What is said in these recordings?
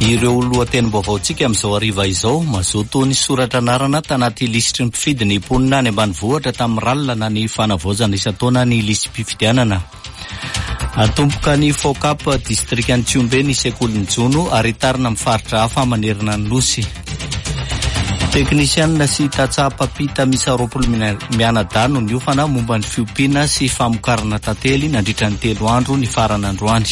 Ireo lohatenim-baovaontsika amin'izao hariva izao, mazoto nisoratra anarana tanaty lisitry ny mpifidy ny mponina any ambanivohitra tamin'ny ralina na ny fanavaozana isan-taona ny lisi-pifidianana. Atomboka ny FOCAP distrikan'i Tsihombe ny sekolin'ny jono ary hitarina amin'ny faritra hafa manerana ny Nosy. Teknisianina sy tantsaha mpampita miisa 20 mianadahy no niofana momba ny fiompiana sy famokarana tantely nandritra ny telo andro nifarana androany.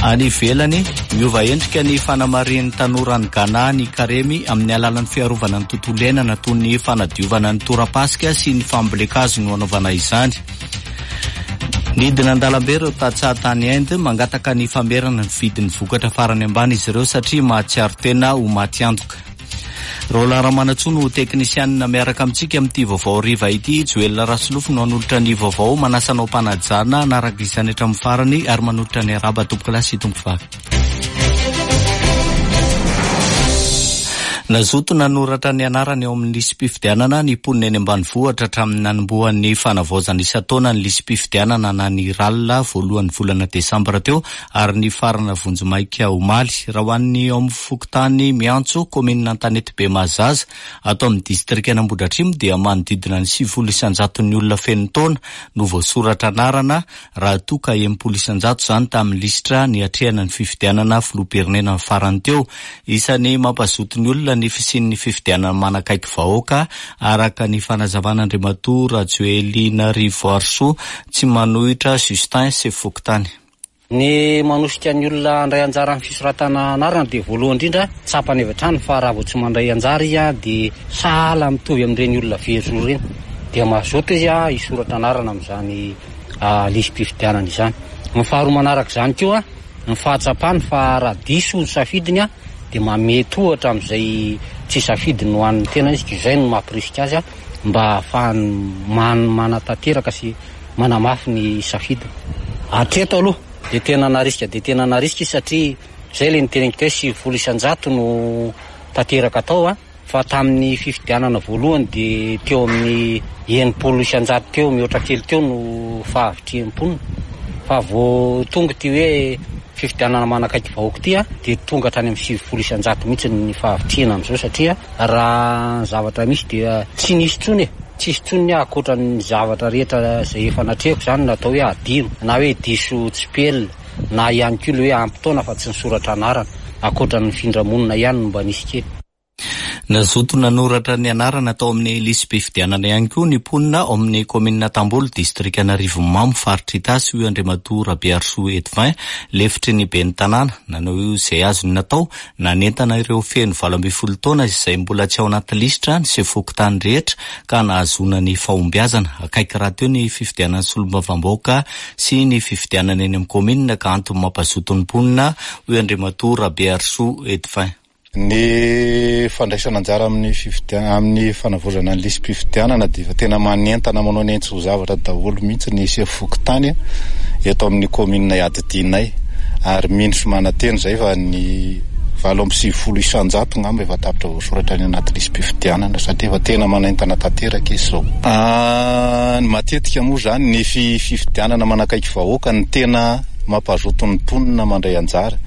Any ivelany, miova endrika ny fanamarihan'ny tanora any Ghana ny karemy amin'ny alalan'ny fiarovana ny tontolo iainana toy ny fanadiovana ny torapasika sy ny fambolen-kazo no anaovana izany. Nidina an-dalambe ireo tantsaha tany Inde mangataka ny famerana ny vidin'ny vokatra farany ambany izy ireo satria mahatsiaro tena ho maty antoka. Roland Ramanantsoa no teknisianina miaraka amintsika amin'ity vaovao hariva ity. Joel Rasolofo no hanolotra ny vaovao. Manasa anao am-panajana hanaraka izany hatramin'ny farany ary manolotra ny arahaba tompokolahy sy tompovavy. Nazoto nanoratra ny anarany eo amin'ny lisi-pifidianana ny mponina eny ambanivohitra hatramin'ny nanombohan'ny fanavaozana isan-taona ny lisi-pifidianana na ny RAL voalohan'ny volana desambra teo ary nifarana vonjimaika omaly. Raha ho an'ny ao amin'ny fokontany Miantso, kaominina Antanetibe Mahazaza, ato amin'ny distrikan'Ambohidratrimo dia manodidina ny 90 isan-jaton'ny olona feno taona no voasoratra anarana raha toa ka 60 isan-jato izany tamin'ny lisitra niatrehana ny fifidianana filoham-pirenena ny farany teo. Isan'ny mampazoto ny olona ny fisian'ny fifidianana manakaiky vahoaka, araka ny fanazavan'Andriamatoa Rajoelinarivoarisoa Tsimanohitra Justin, sefo fokontany. Ny manosika ny olona handray anjara amin'ny fisoratana anarana dia voalohany indrindra tsapany avy hatrany fa raha vao tsy mandray anjara izy dia sahala mitovy amin'ireny olona very zo ireny dia mazoto izy hisoratra anarana amin'izany lisi-pifidianana izany. Ny faharoa manaraka izany koa ny fahatsapany fa raha diso ny safidiny dia manome tohatra amin'izay tsy safidiny ho an'ny tenany izy ka izay no mampirisika azy mba hahafahany manatanteraka sy manamafy ny safidiny. Hatreto aloha dia tena narisika dia tena narisika izy satria izay ilay niteneniko teo hoe 90% no tanteraka tao an, fa tamin'ny fifidianana voalohany dia teo amin'ny 60% teo mihoatra kely teo no fahavitrihan'ny mponina. Fa vao tonga ity hoe fifidianana manakaiky vahoaka ity an, dia tonga hatrany amin'ny 90% mihitsy ny fahavitrihana amin'izao satria raha ny zavatra misy dia tsy nisy intsony e! Tsisy intsony ny ahy ankoatra ny zavatra rehetra izay efa natrehiko izany no atao hoe adino na hoe diso tsipelina na ihany koa ilay hoe ampy taona fa tsy nisoratra anarana, ankoatra ny nifindra monina ihany no mba nisy kely. Nazoto nanoratra ny anarana tao amin'ny lisi-pifidianana ihany koa ny mponina ao amin'ny kaominina Tambolo, distrikan'Arivonimamo, faritra Itasy, hoy Andriamatoa Rabearisoa Edvin, lefitry ny ben'ny tanàna. Nanao izay azony natao Nanentana ireo feno 18 taona izay mbola tsy ao anaty lisitra ny sefo fokontany rehetra ka nahazoana ny fahombiazana. Akaiky rahateo ny fifidianana solombavambahoaka sy ny fifidianana eny amin'ny kaominina ka antony mampazoto ny mponina, hoy Andriamatoa Rabearisoa Edvin. Ny fandraisana anjara amin'ny fifidianana, amin'ny fanavaozana ny lisi-pifidianana dia efa tena manentana manao ny ainy tsy ho zavatra daholo mihitsy ny sefo fokontany eto amin'ny kaominina iadidianay. Ary mino sy manantena izay fa ny 98% ngamba efa tapitra voasoratra any anaty lisi-pifidianana satria efa tena manaintana tanteraka izy izao. Ny matetika moa izany ny fifidianana manakaiky vahoaka no tena mampazoto ny mponina mandray anjara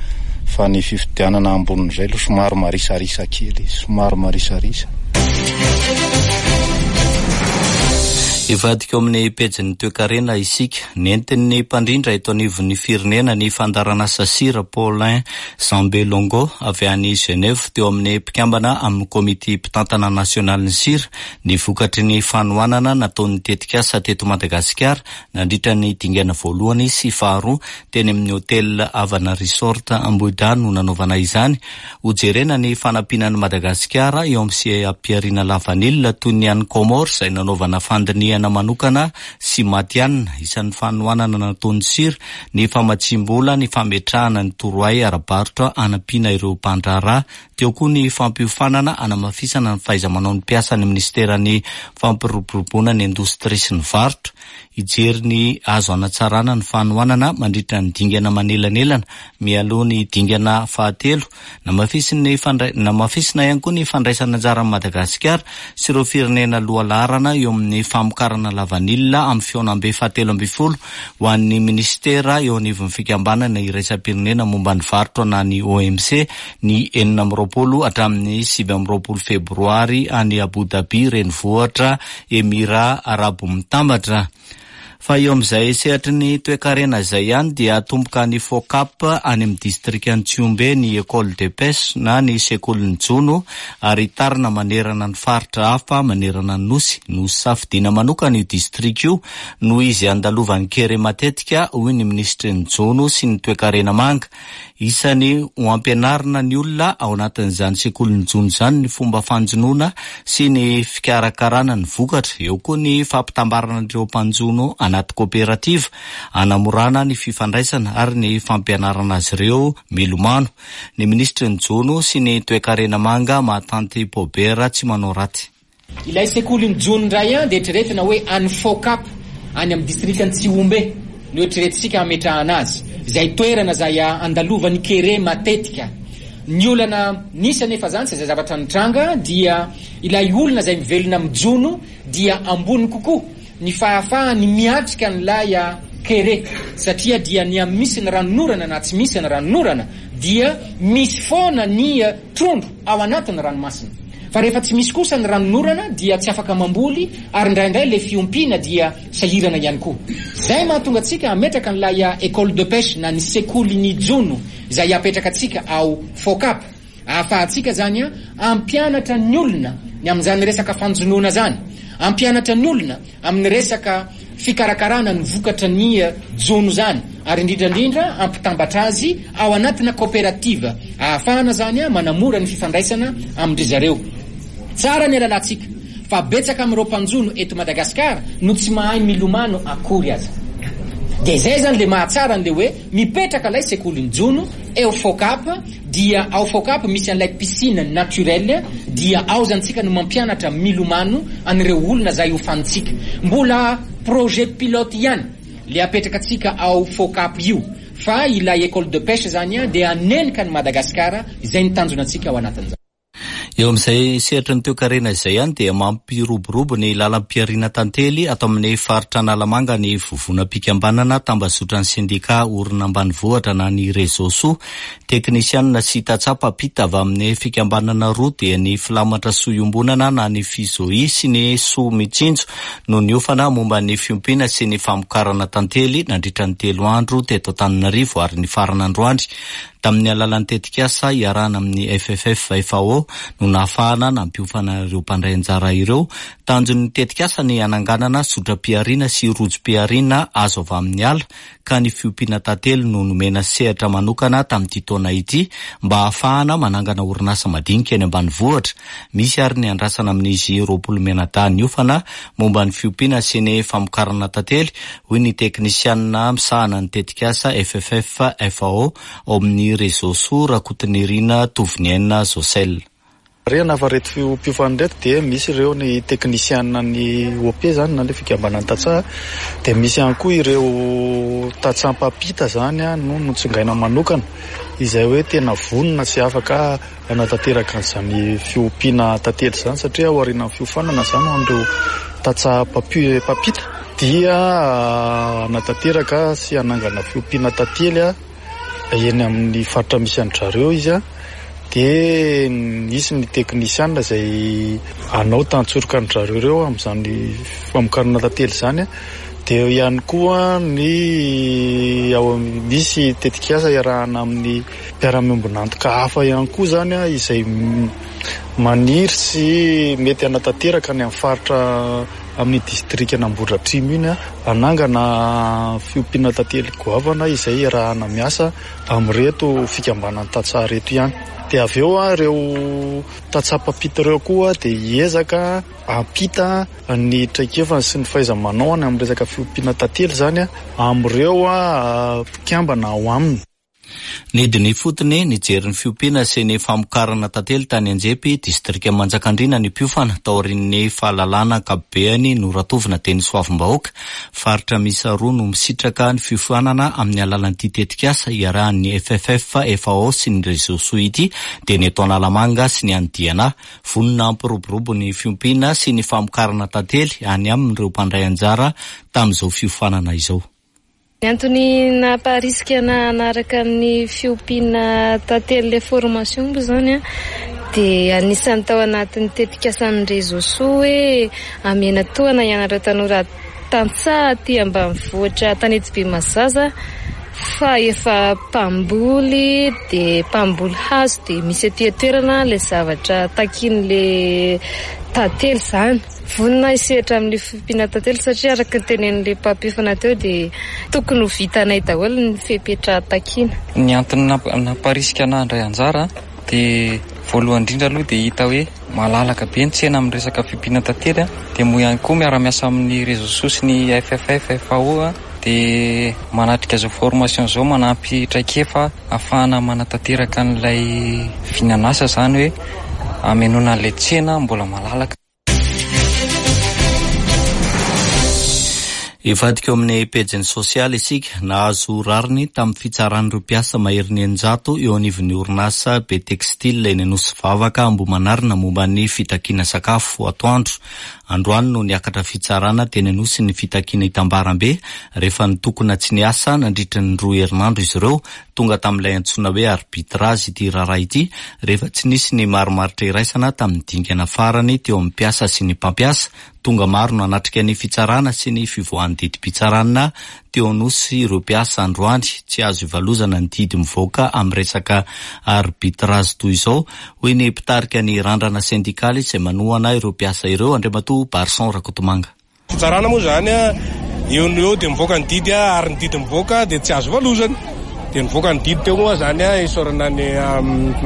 fa ny fifidianana ambonin'izay aloha somary marisarisa kely, somary marisarisa. Hivadika ao amin'ny pejin'ny toekarena isika. Nentin'ny mpandrindra eto anivon'ny firenena ny fandaharanasa Sir Paulin Zambelongo avy any Genève teo amin'ny mpikambana amin'ny komity mpitantana nasionalin'ny Sir ny vokatry ny fanohanana nataon'ny tetikasa teto Madagasikara nandritra ny dingana voalohany sy faharoa teny amin'ny Hotel Havana Resort Ambohidrano no nanaovana izany. Hojerena ny fanampiana an'i Madagasikara eo amin'ny seha-pihariana lavanila toy ny any Comores izay nanaovana fandinihana manokana sy matihanina. Isan'ny fanohanana nataon'ny Sir ny famatsiam-bola ny fametrahana ny torohay ara-barotra hanampiana ireo mpandraharaha. Teo koa ny fampiofanana hanamafisana ny fahaiza-manaon'ny mpiasan'ny minisiteran'ny Fampiroboroboana ny Indostria sy ny Varotra. hijery ny azo hanatsarana ny fanohanana mandritra ny dingana manelanelana mialoha ny dingana fahatelo. Namafisin'ny fandray, namafisina ihany koa ny fandraisana anjaran'i Madagasikara sy ireo firenena lohalaharana eo amin'ny famokarana lavanila amin'ny fihaonambe fahatelo ambinifolo ho an'ny minisitera eo anivon'ny fikambanana iraisam-pirenena momba ny varotra na ny OMC ny 26 hatramin'ny 29 febroary any Abu Dhabi renivohitra Emirà Arabo Mitambatra. Fa eo amin'izay sehatry ny toekarena izay ihany dia hatomboka any Focap any amin'ny distrikan'i Tsihombe ny Ecole de Pêche na ny sekolin'ny jono ary hitarina manerana ny faritra hafa manerana ny Nosy. Nosafidiana manokana io distrika io noho izy andalovan'ny kere matetika, hoy ny minisitry ny Jono sy ny toekarena manga. Isany ho ampianarina ny olona ao anatin'izany sekolin'ny jono izany ny fomba fanjonoana sy ny fikarakarana ny vokatra. Eo koa ny fampitambarana ireo mpanjono anaty koperativa, hanamorana ny fifandraisana ary ny fampianarana azy ireo milomano. Ny minisitry ny Jono sy ny toekarena manga Mahatanty Paubert Tsimanaoraty. Ilay sekolin'ny jono indray an dia eritreretina hoe any Focap any amin'ny distrikan'i Tsihombe no eritreretintsika hametrahana azy, izay toerana izay andalovan'ny kere matetika. Ny olana nisy anefa izany sy izay zavatra nitranga dia ilay olona izay mivelona amin'ny jono dia ambony kokoa ny fahafahany miatrika an'ilay kere satria dia ny misy ny ranonorana na tsy misy ny ranonorana dia misy foana ny trondro ao anatin'ny ranomasina. Fa rehefa tsy misy kosa ny ranonorana dia tsy afaka mamboly ary indraindray ilay fiompiana dia sahirana ihany koa. Izay mahatonga antsika hametraka an'ilay école de pêche na ny sekolin'ny jono izay apetraka antsika ao Focap. Ahafahantsika izany hampianatra ny olona ny amin'izany resaka fanjonoana izany, hampianatra ny olona amin'ny resaka fikarakarana ny vokatra ny jono izany ary indrindra indrindra hampitambatra azy ao anatina coopérative ahafahana izany manamora ny fifandraisana amin-dry zareo. Tsara ny alalantsika fa betsaka amin'ireo mpanjono eto Madagascar no tsy mahay milomano akory aza. Dia izay izany ilay mahatsara an'ilay hoe mipetraka ilay sekolin'ny jono eo Focap Dia ao Focap misy an'ilay piscine naturelle dia ao zany tsika no mampianatra milomano an'ireo olona zay hofanintsika. Mbola projet pilote ihany le apetraka tsika ao Focap io fa ilay école de pêche zany dia hanenika an'i Madagascar izay ny tanjona antsika ao anatin'izany. Eo amin'izay sehatry ny toekarena izay ihany dia mampiroborobo ny lalam-pihariana tantely ato amin'ny faritra Analamanga ny vovonam-pikambanana tambazotran'ny sendikà orina ambanivohitra na ny Réseau Soa. Teknisianina sy tantsaha mpampita avy amin'ny fikambanana roa dia ny Filamatra Soa Iombonana na ny Fizoi sy ny Soa Mitsinjo no niofana momba ny fiompiana sy ny famokarana tantely nandritra ny telo andro teto Antananarivo ary nifarana androany. Tamin'ny alalan'ny tetikasa iarahana amin'ny FFF FAO no nahafahana nampiofana ireo mpandray anjara ireo. Tanjon'ny tetikasa ny hananganana zotram-pihariana sy rojom-pihariana azo avy amin'ny ala ka ny fiompiana tantely no nomena sehatra manokana tamin'ity taona ity mba hahafahana manangana orinasa madinika eny ambanivohitra. Misy ary ny andrasana amin'izy 20 mianadahy niofana momba ny fiompiana sy ny famokarana tantely, hoy ny teknisianina misahana ny tetikasa FFF FAO ao amin'ny Réseau Soa, Rakotonirina Tovoniaina Josel. Marihana fa ireto mpiofana ireto dia misy ireo ny teknisiana ny OP izany na ilay fikambanan'ny tantsaha, dia misy ihany koa ireo tantsaha mpampita izany no notsongaina manokana izay hoe tena vonona sy afaka hanatanteraka an'izany fiompiana tantely izany satria aorianan'ny fiofanana izany ho an'ireo tantsaha mpampita dia hanatanteraka sy hanangana fiompiana tantely eny amin'ny faritra misy an-dry zareo izy dia nisy ny teknisiana izay hanao tantsoroka an-dry zareo ireo amin'izany famokarana tantely izany dia eo ihany koa ny ao misy tetikasa iarahana amin'ny mpiara-miombon'antoka hafa ihany koa izany izay maniry sy mety hanatanteraka any amin'ny faritra amin'ny distrikan'Ambohidratrimo iny hanangana fiompiana tantely goavana izay iarahana miasa amin'ireto fikambanan'ny tantsaha ireto ihany. Dia avy eo ireo tantsaha mpampita ireo koa dia hiezaka hampita ny traikefany sy ny fahaiza-manaony amin'ny resaka fiompiana tantely izany amin'ireo mpikambana ao aminy. Nidina ifotony nijery ny fiompiana sy ny famokarana tantely tany Anjepy, distrikan'i Manjakandriana ny mpiofana, taorian'ny fahalalana ankapobeany noratovina teny Soavimbahoaka. Faritra miisa roa no misitraka ny fiofanana amin'ny alalan'ity tetikasa iarahan'ny FFF, FAO sy ny Réseau Soa ity, dia ny eto Analamanga sy ny any Diana. Vonona hampiroborobo ny fiompiana sy ny famokarana tantely any aminy ireo mpandray anjara tamin'izao fiofanana izao. Ny antony nampaharisika anah hanaraka ny fiompiana tantely ilay formation moa izany dia anisan'ny tao anatin'ny tetikasan'ny Réseau Soa hoe hamena tohana hianatra tanora tantsaha aty ambanivohitra Antanetibe Mazaza fa efa mpamboly dia mpamboly hazo dia misy aty an-toerana ilay zavatra takian'ilay tantely izany. Vonona hisehatra amin'ny fiompiana tantely satria araka ny tenenin'ilay mpampiofana teo dia tokony ho vitanay daholo ny fepetra takiana. Ny antony namparisika anah handray anjara dia voalohany indrindra aloha dia hita hoe malalaka be ny tsena amin'ny resaka fiompiana tantely dia moa ihany koa miara-miasa amin'ny Réseau Soa sy ny FFF, FAO dia manatrika izao formation izao manampy traikefa ahafahana manatanteraka an'ilay vinan'asa izany hoe hamenoana an'ilay tsena mbola malalaka. Hivadika eo amin'ny pejiny sosialy isika. Nahazo rariny tamin'ny fitsaran'ireo mpiasa maherin'ny 600 eo anivon'ny orinasa Be Textile eny Anosivavaka Ambohimanarina momba ny fitakiana sakafo atoandro. Androany no niakatra fitsarana teny Anosy ny fitakiana hitambarambe rehefa nitokona tsy niasa nandritra ny roa herinandro izy ireo. Tonga tamin'ilay antsoina hoe arbitrage ity raharaha ity rehefa tsy nisy ny marimaritra iraisana tamin'ny dingana farany teo amin'ny mpiasa sy ny mpampiasa. Tonga maro nanatrika ny fitsarana sy ny fivoahan'ny didim-pitsarana teo Anosy ireo mpiasa androany. Tsy azo ivalozana ny didy mivoaka amin'ny resaka arbitrage toy izao, hoy ny mpitarika ny randrana sendikaly izay manohana ireo mpiasa ireo, Andriamatoa Barson Rakotomanga. Fitsarana moa izany eo no eo dia mivoaka ny didy ary ny didy mivoaka dia tsy azo valozana. Dia nivoaka ny didy teo moa izany isaorana ny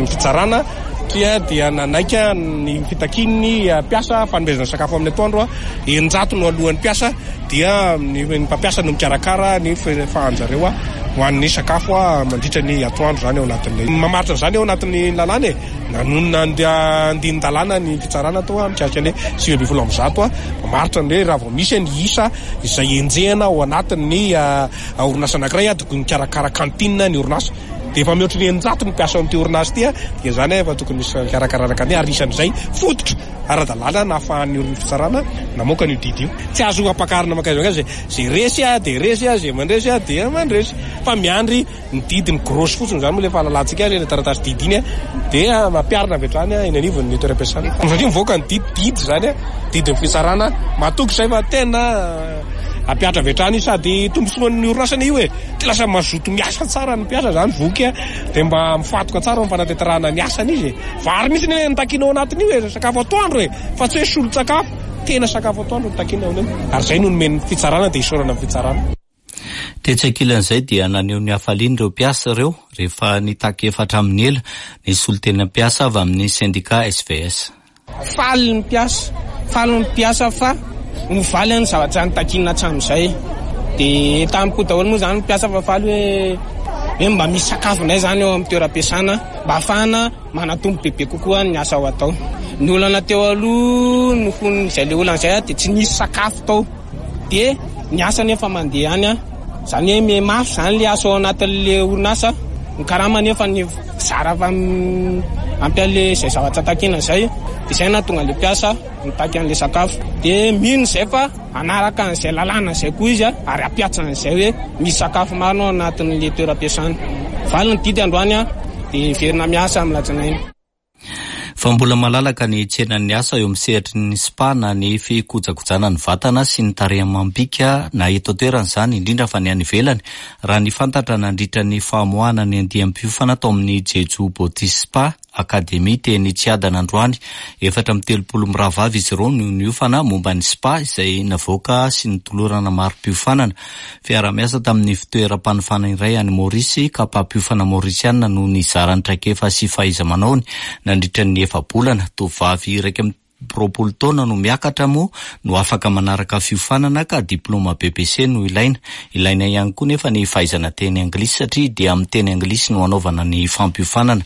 fitsarana satria dia nanaiky ny fitakian'ny mpiasa fanomezana sakafo amin'ny atoandro, 600 no alohan'ny mpiasa dia ny mpampiasa no mikarakara ny fahanjareo ho an'ny sakafo mandritra ny atoandro izany ao anatin'ny mamaritra an'izany ao anatin'ny lalàna e. Nanonona andinin-dalàna ny fitsarana tao mikasika ny 119 mamaritra ny hoe raha vao misy ny isa izay enjehina ao anatin'ny orinasa anankiray tokony mikarakara cantine ny orinasa. Dia efa mihoatry ny 600 ny mpiasa ao amin'ity orinasa ity dia izany efa tokony misy fikarakarana cantine ary isan'izay fototra ara-dalàna nahafahan'ny orin'ny fitsarana namoaka an'io didy io. Tsy azo ampakarina mankaiza mankaiza izay resy dia resy, izay mandresy dia mandresy fa miandry Ny didy ny grosse fotsiny izany moa ilay fahalalantsika azy, ilay taratasy didy iny dia ampiharina avy hatrany eny anivon'ny toeram-piasana. Satria mivoaka ny didy, didy izany, didin'ny fitsarana, matoky izay fa tena hampihatra avy hatrany io sady tombontsoan'ny orinasa anie io e. Dia lasa mazoto miasa tsara ny mpiasa izany, voky dia mba mifantoka tsara amin'ny fanatanterahana ny asany izy e. Vary mihitsy anie no takiana ao anatin'io e, sakafo atoandro e, fa tsy hoe solon-tsakafo, tena sakafo atoandro no takiana ao amin'io. Ary izay no nomen'ny fitsarana dia isaorana ny fitsarana. Tetsy ankilan'izay dia naneho ny hafaliany ireo mpiasa ireo rehefa nitaky efa hatramin'ny ela ny solontena mpiasa avy amin'ny sendika SVS. Faly ny mpiasa, faly ny mpiasa fa mivaly ny zavatra nitakiana hatramin'izay. Dia entaniko daholo moa izany ny mpiasa fa faly hoe hoe mba misy sakafo indray izany eo amin'ny toeram-piasana mba ahafahana manatombo bebe kokoa ny asa ho atao. Ny olana teo aloha noho izay ilay olana izay dia tsy nisy sakafo tao. Dia ny asa anefa mandeha ihany an, izany hoe miha mafy izany ilay asa ao anatin'ilay orinasa, ny karama anefa ny zara fa ampy an'ilay izay zavatra takiana izay, dia izay no nahatonga an'ilay mpiasa nitaky an'ilay sakafo. Dia mino izay fa hanaraka an'izay lalàna izay koa izy ary hampihatsa an'izay hoe misy sakafo marina ao anatin'ilay toeram-piasana. Valy ny didy androany an, dia hiverina miasa amin'ny alatsinainy. Fa mbola malalaka ny tsenan'ny asa eo amin'ny sehatry ny spa na ny fikojakojana ny vatana sy ny tarehy amam-bika na eto an-toerana izany, indrindra fa ny any ivelany, raha ny fantatra nandritra ny famoahana ny andiam-piofana tao amin'ny Jeju Beauty Spa Academy teny Tsiadana androany. 34 mirahavavy izy ireo no niofana momba ny spa izay navoaka sy notolorana mari-piofanana. Fiaraha-miasa tamin'ny fitoeram-panofana iray any Maorisy ka mpampiofana Maorisiana no nizara ny traikefa sy fahaiza-manaony nandritra ny efa-bolana. Tovovavy 20 taona no miakatra moa no afaka manaraka fiofanana ka diplaoma BEPC no ilaina. Ilaina ihany koa nefa ny fahaizana teny anglisy satria dia amin'ny teny anglisy no anaovana ny fampiofanana.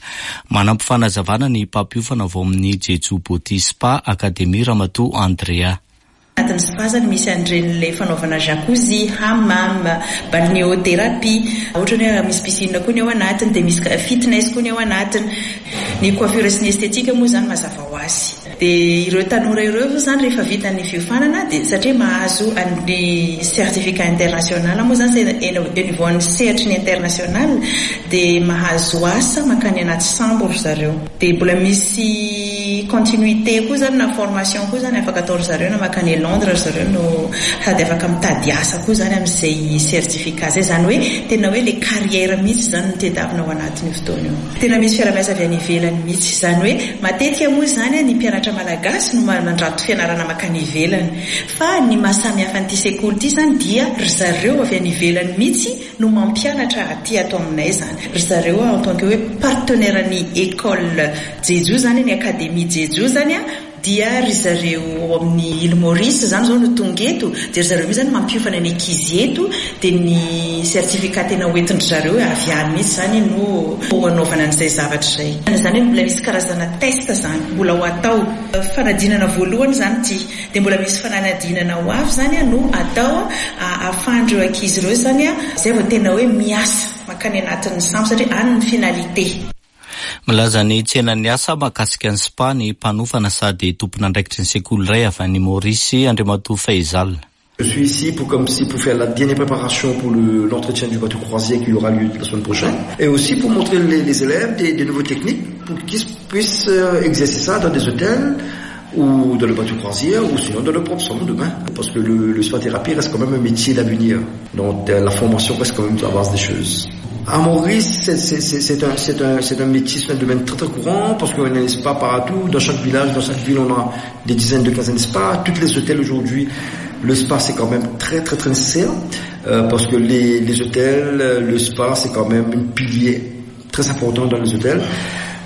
Manampy fanazavana ny mpampiofana avao amin'ny Jeju Beauty Spa Academy Ramatoa Andrea. Anatin'ny spa zany misy an'ireny ilay fanaovana jacuzzi, hammam, balnéothérapie, ohatra ny hoe misy piscine koa ny ao anatiny dia misy fitness koa ny ao anatiny. Ny coiffure sy ny esthétique moa izany mazava ho azy. Dia ireo tanora ireo moa izany rehefa vita ny fiofanana dia satria mahazo an'ny certificat international moa izany izay eo niveau-n'ny sehatry ny international dia mahazo asa mankany anaty sambo ry zareo. Dia mbola misy continuité koa zany na formation koa zany afaka atao ry zareo na makany Londres ry zareo no sady afaka mitady asa koa zany amin'izay certificat zay. Zany hoe tena hoe le carrière mihitsy zany no tedavina ao anatin'io fotoana io. Tena misy fiarahamiasa avy any ivelany mihitsy. Izany hoe matetika moa izany ny mpianatra malagasy no mandrato fianarana makany ivelany. Fa ny maha samy hafa an'ity sekoly ity zany dia ry zareo avy any ivelany mihitsy no mampianatra aty ato aminay zany ry zareo en tant que hoe partenaire ny école Jejo zany ny académie Jejo zany a dia ry zareo ao amin'ny île Maurice zany zao no tonga eto dia ry zareo mihitsy zany mampiofana ny ankizy eto dia ny certificat tena hoentin-dry zareo avy any mihitsy zany no hanaovana an'izay zavatra izay. Izany hoe mbola misy karazana test zany mbola ho atao. Fanadinana voalohany zany ity. Dia mbola misy fananadinana ho avy izany no atao ahafahan'ireo ankizy ireo izany izay vao tena hoe miasa mankany anatin'ny sambo satria any ny finalité. Milaza ny tsenan'ny asa mahakasika ny spa ny mpanofana sady tompon'andraikitry ny sekoly iray avy any Maorisy, Andriamatoa Faizal. Je suis ici pour comme si pour faire la dernière préparation pour l'entretien du bateau croisière qui aura lieu la semaine prochaine et aussi pour montrer les, les élèves des, des nouvelles techniques pour qu'ils puissent euh, exercer ça dans des hôtels ou dans le bateau croisière ou sinon dans le propre salon de bain parce que le, le spa thérapie reste quand même un métier d'avenir donc euh, la formation reste quand même la base des choses. À Maurice, c'est un, un, un métier, c'est un domaine très très courant parce qu'on a un spa partout. Dans chaque village, dans chaque ville, on a des dizaines de quinzaines de spas. Toutes les hôtels aujourd'hui, le spa c'est quand même très très très nécessaire euh, parce que les, les hôtels, le spa c'est quand même une pilier très important dans les hôtels.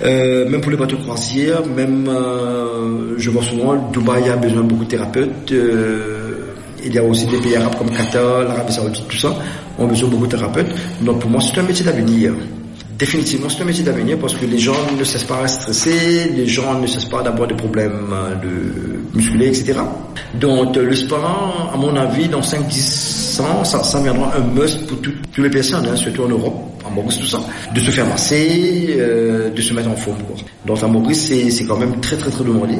Euh, même pour les bateaux croisières, même euh, je vois souvent Dubaï a besoin de beaucoup de thérapeutes. Euh, il y a aussi des pays arabes comme Qatar, l'Arabie Saoudite, tout ça, ont besoin de beaucoup de thérapeutes. Donc pour moi, c'est un métier d'avenir. Définitivement, c'est un métier d'avenir parce que les gens ne cessent pas de stresser, les gens ne cessent pas d'avoir des problèmes de musculaires, etc. Donc le spa, à mon avis, dans 5, 10 ans, ça, ça viendra un must pour tout, toutes les personnes, hein, surtout en Europe, à Maurice, tout ça, de se faire masser, euh, de se mettre en forme. Quoi. Donc à Maurice, c'est quand même très très très demandé.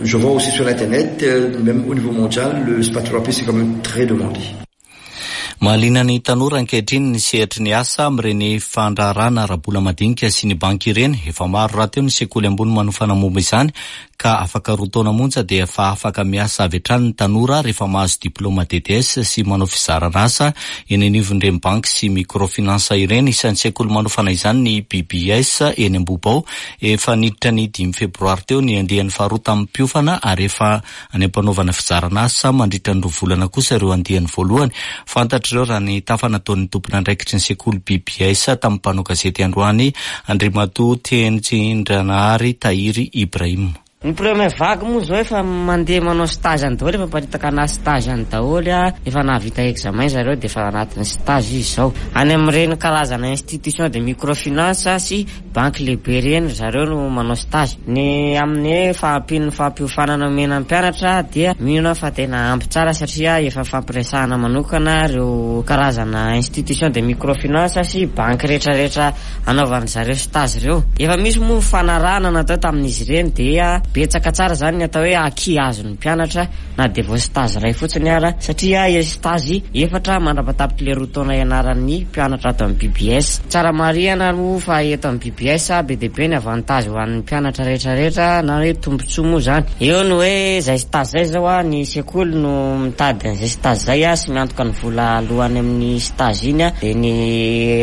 Je vois aussi sur l'internet, euh, même au niveau mondial, le spa thérapie, c'est quand même très demandé. Mahaliana ny tanora ankehitriny ny sehatry ny asa amin'ireny fandraharahana ara-bola madinika sy ny banky ireny. Efa maro rahateo ny sekoly ambony manofana momba izany ka afaka roa taona monja dia efa afaka miasa avy hatrany ny tanora rehefa mahazo diplaoma DTS sy manao fizarana asa eny anivon'ireny banky sy microfinance ireny. Isan'ny sekoly manofana izany ny BBS eny Ambohibao. Efa niditra ny dimy febroary teo ny andiany faharoa tamin'ny mpiofana ary efa any am-panaovana fizarana asa mandritra ny roa volana kosa ireo andiany voalohany. Fantatr'ireo raha ny tafa nataon'ny tompon'andraikitry ny sekoly BBS tamin'ny mpanao gazety androany, Andriamatoa Tehintsindrahary Tahiry Ibrahim. Ny première vague moa zao efa mandeha manao stage any daholo, efa miparitaka ana stage any daholo, efa nahavita examen zareo dia efa anatin'ny stage izy zao. Any amin'ireny karazana institution de microfinance sy Banky lehibe ireny ry zareo no manao stage. Ny amin'ny hoe fahampian'ny fampiofanana omena ny mpianatra dia mino aho fa tena ampy tsara satria efa nifampiresahana manokana ireo karazana institution de microfinance sy banky rehetrarehetra anaovan-dry zareo stage ireo. Efa misy moa ny fifanarahana natao tamin'izy ireny dia betsaka tsara izany ny atao hoe acquis azon'ny mpianatra na dia vao stage iray fotsiny ara satria stage efatra mandra-patapitr'ilay roa taona ianaran'ny mpianatra ato amin'ny BBS. Tsara marihana moa fa eto amin'ny BBS be dia be ny avantage ho an'ny mpianatra rehetra rehetra na hoe tombotsoa moa izany. Eo ny hoe izay stage izay izao ny sekoly no mitady an'izay stage izay sy miantoka ny vola aloa any amin'ny stage iny dia ny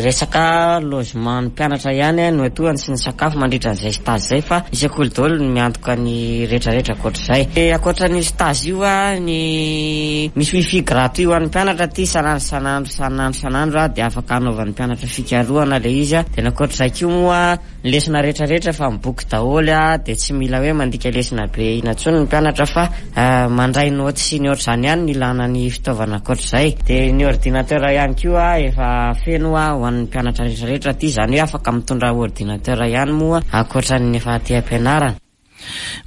resaka logement ny mpianatra ihany no atohany sy ny sakafo mandritra an'izay stage izay fa ny sekoly daholo no miantoka ny. ny rehetrarehetra ankoatr'izay. Ankoatra ny stage io ny misy wifi gratuit ho an'ny mpianatra aty isan'andro isan'andro isan'andro isan'andro dia afaka hanaovan'ny mpianatra fikarohana ilay izy. Dia ny ankoatr'izay koa moa ny lesona rehetrarehetra efa amin'ny boky daholo dia tsy mila hoe mandika lesona be ina intsony ny mpianatra fa mandray naoty sy ny ohatr'izany ihany no ilana ny fitaovana ankoatr'izay. Dia ny ordinateur ihany koa efa feno ho an'ny mpianatra rehetrarehetra aty, izany hoe afaka mitondra ordinateur ihany moa ankoatran'ny efa aty am-pianarana.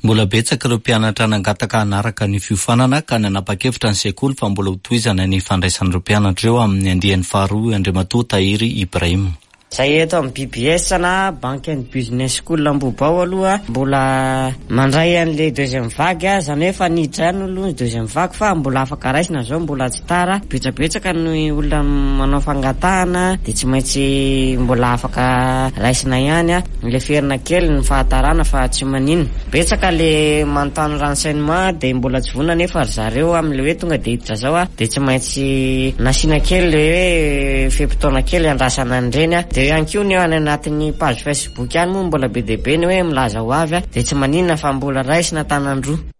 Mbola betsaka ireo mpianatra nangataka hanaraka ny fiofanana ka nanapa-kevitra ny sekoly fa mbola hotohizana ny fandraisana ireo mpianatra ireo amin'ny andiany faharoa hoy Andriamatoa Tahiry Ibrahim. Izay eto amin'ny BBS na Bank and Business School Ambohibao aloha mbola mandray an'ilay deuxième vague, izany hoe efa niditra ihany aloha ny deuxième vague fa mbola afaka raisina izao, mbola tsy tara. Betsabetsaka ny olona manao fangatahana dia tsy maintsy mbola afaka raisina ihany. Leferina kely ny fahatarana fa tsy maninona. Betsaka le manontany renseignement dia mbola tsy vonona nefa ry zareo amin'le hoe tonga dia hiditra zao dia tsy maintsy nasiana kely le hoe fe-potoana kely andrasana an'ireny. Dia ihany koa ny any anatin'ny page facebook any moa mbola be dia be ny hoe milaza ho avy dia tsy maninona fa mbola raisina tanan-droa.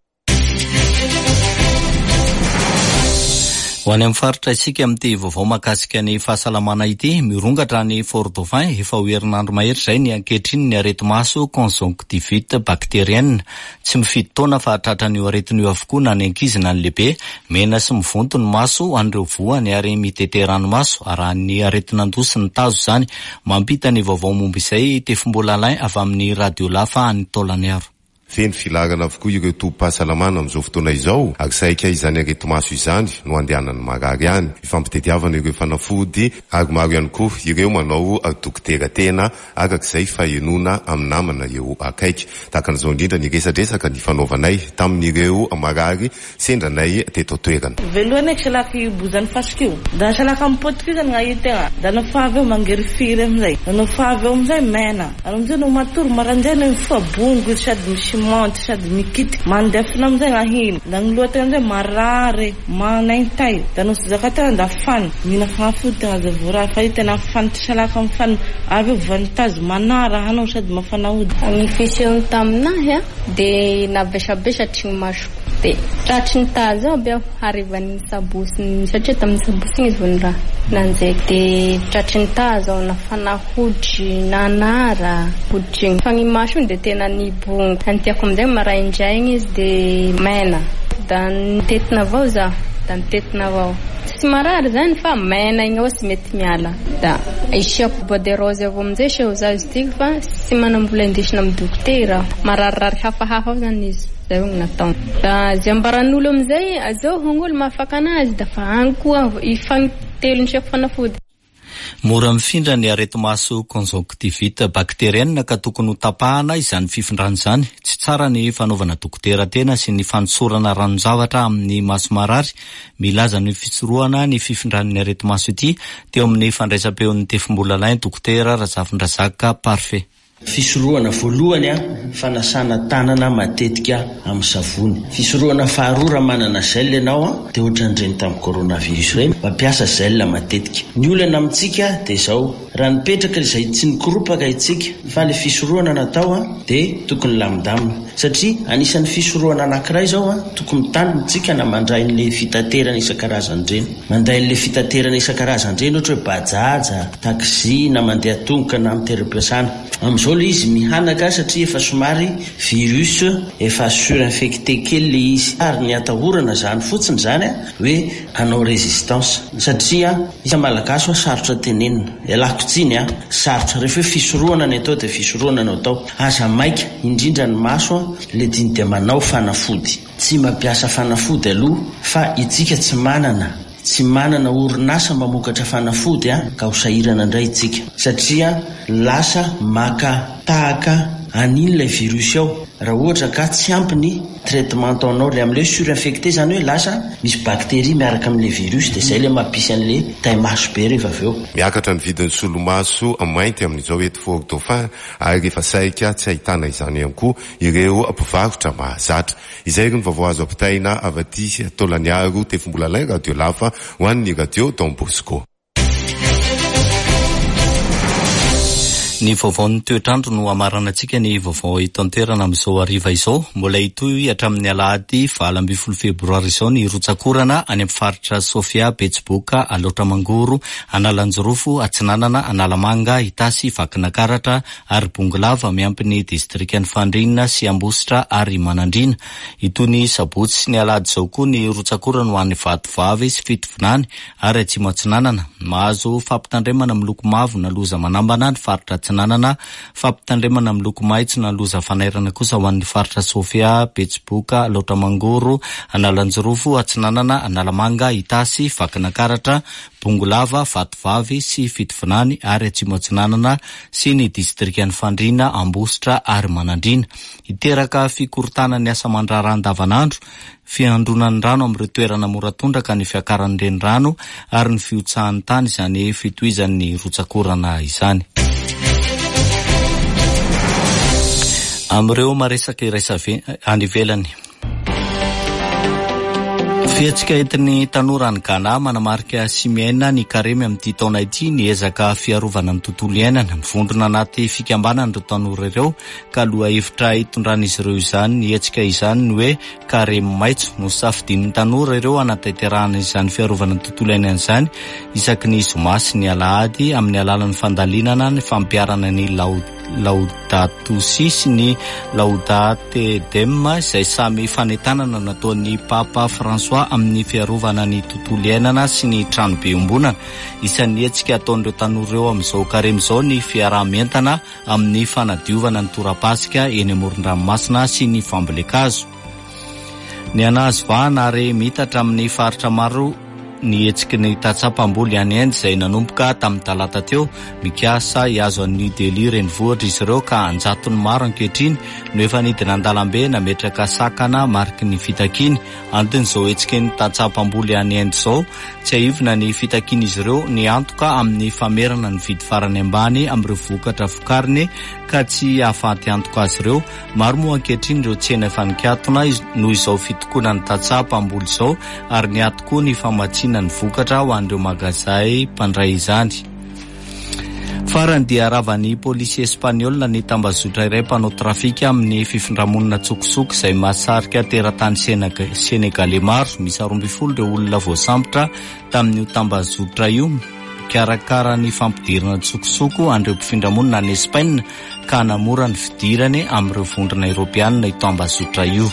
Ho any amin'ny faritra isika amin'ity vaovao mahakasika ny fahasalamana ity. Mirongatra any Fort Dauphin efa ho herinandro mahery izay ny ankehitriny ny areti-maso conjonctivite bactérienne. Tsy mifidy taona fa tratran'io aretina io avokoa na ny ankizy na ny lehibe. Mena sy mivonto ny maso ho an'ireo voany ary mitete ranomaso arahin'ny aretin'andoha sy ny tazo izany. Mampita ny vaovao momba izay i Tefimbola Alain avy amin'ny Radio Lafa any Taolagnaro. Feno filaharana avokoa ireo tobim-pahasalamana amin'izao fotoana izao ary saika izany areti-maso izany no andehanan'ny marary any. Ifampitediavana ireo fanafody ary maro ihany koa ireo manao dokotera tena araka izay fahenoana amin'ny namana eo akaiky. Tahaka an'izao indrindra ny resadresaka nifanaovanay tamin'ireo marary Sendra anay teto an-toerana. Voalohany eky salaky bozany fasika io, da salaka mipotika io zany gn'ahitegna, da nofa avy eo mangirifiry amizay, da nofa avy eo amizay mena, ary amizay no matory maraindray no mifoha bongo izy sady misimonty sady mikitiky, mandefona amizay gn'ahiny, da gny lohategna amizay marary, manaintay, da no tsy zakategna da fany, mihina fagnafody tegna zay vao raha fa io tena fany tsy salaka mifany, avy eo voan'ny tazo manara anao sady mafana hoditra. Ny fisehony taminahy a. Dia navesabesatry ny masoko. Dia tratry ny tazo aby aho harivan'ny sabotsy iny satria tamin'ny sabotsy iny izy vao niraha nanjeky. Dia tratry ny tazo aho nafana hoditry, nanara hoditry iny. Fa ny maso iny dia tena nibongo. Ny tiako amin'izay maraindraigny izy dia maina. Da nitetina avao zaho, da nitetina avao. Tsy marary zany fa maina igny avao tsy mety miala. Da isiako bois de rose avao amin'izay seho zaho izy tiako fa tsy manam-bola indesina amin'ny dokotera aho. Mararirary hafahafa ao zany izy. Zay no nataony. Da zay ambaran'olo amin'izay, azao hono olo mahafaka anazy da fa agny koa ifagnitelony siako fanafody. Mora mifindra ny areti-maso conjonctivite bactérienne ka tokony ho tapahana izany fifindrana izany. Tsy tsara ny fanaovana dokotera tena sy ny fanosorana ranon-javatra amin'ny maso marary. Milaza ny fisorohana ny fifindran'ny areti-maso ity teo amin'ny fandraisam-peon'ny Tefimbola Alain Dokotera Razafindrazaka Parfait. Fisorohana voalohany, fanasana tanana matetika amin'ny savony. Fisorohana faharoa, raha manana gel ianao dia ohatran'ireny tamin'ny coronavirus ireny, mampiasa gel matetika. Ny olana amintsika dia izao, raha nipetraka izay tsy nikoropaka isika fa ilay fisorohana natao dia tokony lamindamina. Satria anisan'ny fisorohana anankiray izao, tokony mitandrina isika na mandray an'ilay fitaterana isan-karazany ireny. Manday an'ilay fitaterana isan-karazany ireny ohatra hoe bajaj, taxi na mandeha tongotra na amin'ny toeram-piasana. Amin'izao ilay izy mihanaka satria efa somary virus efa surinfecté kely ilay izy ary ny atahorana izany fotsiny izany hoe hanao résistance satria isika Malagasy hoa sarotra tenenina, ialako tsiny an, sarotra, rehefa hoe fisorohana ny atao dia fisorohana no atao, aza maika, indrindra ny maso an, ilay diny dia manao fanafody. Tsy mampiasa fanafody aloha fa itsika tsy manana, tsy manana orinasa mamokatra fanafody a, ka ho sahirana indray itsika satria lasa maka tahaka an'iny ilay virus ao raha ohatra ka tsy ampy ny traitement ataonao, le amin'ilay hoe surinfecté izany hoe lasa misy bactérie miaraka amin'ilay virus dia izay ilay mampisy an'ilay tai-maso be rehefa avy eo. Miakatra ny vidin'ny solomaso mainty amin'izao eto Fort Dauphin ary efa saika tsy ahitana izany ihany koa ireo mpivarotra mahazatra. Izay ry ny vaovao azo ampitaina avy aty Taolagnaro, Tefimbolalain, Radio Lafa ho an'ny Radio Don Bosco. Ny vaovaon'ny toetr'andro no hamaranantsika ny vaovao eto an-toerana amin'izao hariva izao. Mbola hitohy hatramin'ny alahady 18 febroary izao ny rotsak'orana any amin'ny faritra Sofia, Betsiboka, Alaotra Mangoro, Analanjirofo, Atsinanana, Analamanga, Itasy, Vakinakaratra ary Bongolava miampy ny distrikan'i Fandriana sy Ambositra ary Manandriana. Hitohy ny sabotsy sy ny alahady izao koa ny rotsak'orana ho an'i Vatovavy sy Fitovinany ary Atsimo Atsinanana. Mahazo fampitandremana miloko mavo na loza manambana ny faritra Atsinanana, fampitandremana miloko maitso na loza fanairana kosa ho an'ny faritra Sofia, Betsiboka, Alaotra Mangoro, Analanjirofo, Atsinanana, Analamanga, Itasy, Vakinankaratra, Bongolava, Vatovavy sy Fitovinany ary Atsimo Atsinanana sy ny distrikan'i Fandriana, Ambositra ary Manandriana. Hiteraka fikorontanan'ny asa aman-draharaha andavanandro Fiandronan'ny rano amin'ireo toerana mora tondraka ny fiakaran'ny renirano ary ny fihotsahan'ny tany izany fitohizan'ny rotsak'orana izany. Amin'ireo maresaka iraisa any ivelany. Fihetsika entin'ny tanora any Ghana manamarika sy miaina ny karemy amin'ity taona ity ny ezaka fiarovana ny tontolo iainana. Mivondrona anaty fikambanana ireo tanora ireo ka lohahevitra hitondran'izy ireo izany ny hetsika izany ny hoe karemy maitso. Nosafidian'ny tanora ireo hanatanterahana izany fiarovana ny tontolo iainana izany isaky ny zoma sy ny alahady amin'ny alalan'ny fandalinana ny fampiharana ny Laudato Si sy ny Laudate Deum izay samy fanentanana nataon'ny Papa François amin'ny fiarovana ny tontolo iainana sy ny tranobe iombonana. Isan'ny hetsika ataon'ireo tanora ireo amin'izao karemy izao ny fiaraha-mientana amin'ny fanadiovana ny torapasika eny amoron-dranomasina sy ny fambolen-kazo. Nihanazo vahana ary miitatra amin'ny faritra maro ny hetsiky ny tantsaha mpamboly any Inde izay nanomboka tamin'ny talata teo. Mikasa hihazo an'i New Delhi renivohitra izy ireo ka an-jatony maro ankehitriny no efa nidina an-dalambe nametraka sakana mariky ny fitakiany. Anton'izao hetsiky ny tantsaha mpamboly any Inde izao, tsiahivina ny fitakian'izy ireo ny antoka amin'ny famerana ny vidy farany ambany amin'ireo vokatra vokariny ka tsy hahafaty antoka azy ireo. Maro moa ankehitriny ireo tsena efa nikatona noho izao fitokonan'ny tantsaha mpamboly izao ary niato koa ny famatsiana ny vokatra ho an'ireo magazay mpandray izany. Farany dia ravan'ny polisy espaniola ny tambazotra iray mpanao trafika amin'ny fifindramonina an-tsokosoko izay mahasarika teratany senegaley maro. Miisa 12 ireo olona voasambotra tamin'io tambazotra io mikarakara ny fampidirana an-tsokosoko an'ireo mpifindramonina any Espaina ka hanamora ny fidirany amin'ireo vondrona eoropeanina io tambazotra io.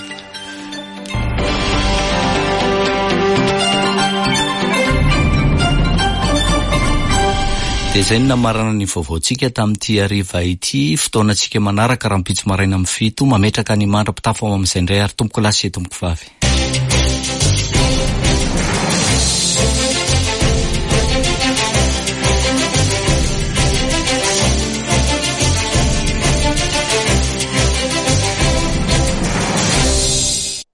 Dia izay no namarana ny vaovaontsika tamin'ity hariva ity. Fotoanantsika manaraka rahampitso maraina amin'ny fito. Mametraka ny mandra-pitafa ho amin'izay indray ary tompoko lahy sy tompoko vavy.